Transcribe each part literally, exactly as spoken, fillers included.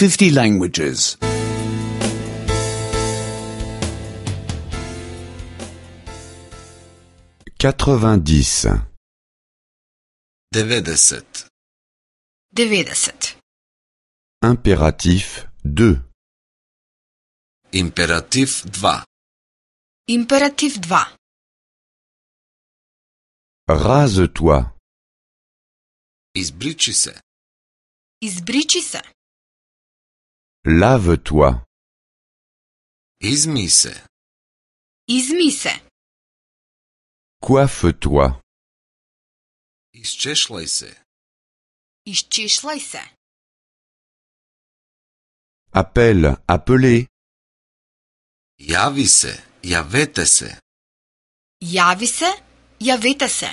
fifty languages. quatre-vingt-dix. деветдесет. деветдесет. Impératif deux. Императив два. Императив два. Rase-toi. Избричи се. Избричи се. Lave-toi. Изми се. Изми се. Coiffe-toi. Изчешлај се. Изчешлај се. Appelle, appelez. Јави се. Јавете се. Јави се, јавете се.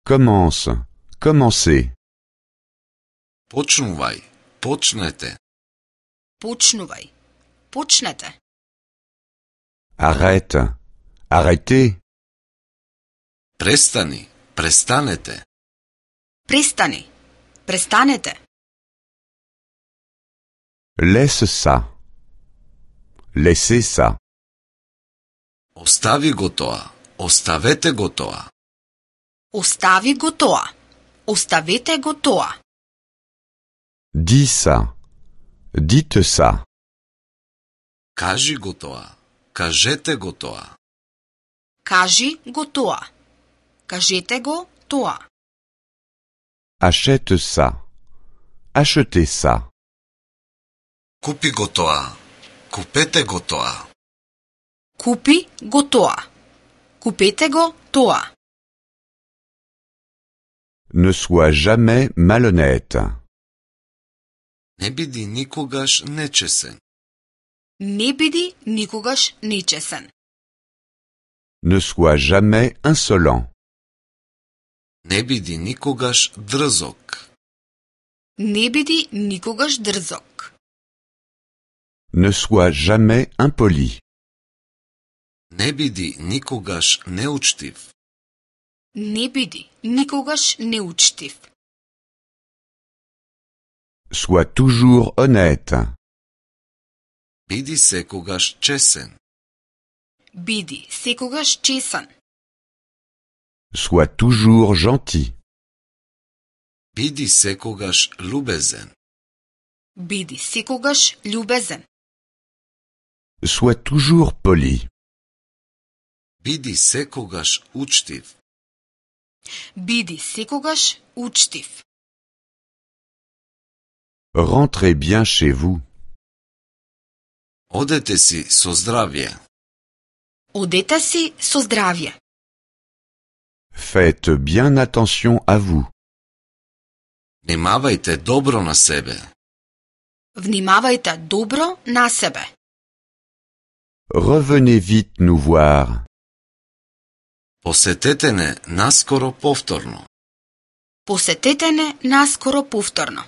Commence, commencez. Почнувај. Почнете. Почнувај. Почнете. Arrête, arrêtez. Престани. Престанете. Престани. Престанете. Laisse ça. Laissez ça. Остави го тоа. Оставете го тоа. Остави го тоа. Оставете го тоа. Dis ça. Dites ça. Кажи го тоа. Кажете го тоа. Кажи го тоа. Кажете го тоа. Achète ça. Achetez ça. Купи го тоа. Купете го тоа. Купи го тоа. Купете го тоа. Ne sois jamais malhonnête. Не биди никогаш нечесен. Не биди никогаш нечесен. Ne sois jamais insolent. Не биди никогаш дрзок. Не биди никогаш дрзок. Ne sois jamais impoli. Не биди никогаш неучтив. Не биди никогаш неучтив. Sois toujours honnête. Биди секогаш чесен. Биди секогаш чесен. Sois toujours gentil. Биди секогаш љубезен. Биди секогаш љубезен. Sois toujours poli. Биди секогаш учтив. Биди секогаш учтив. Rentrez bien chez vous. Одете си со здравје. Одете си со здравје. Faites bien attention à vous. Внимавајте добро на себе. Внимавајте добро на себе. Revenez vite nous voir. Посетете не наскоро повторно. Посетете не наскоро повторно.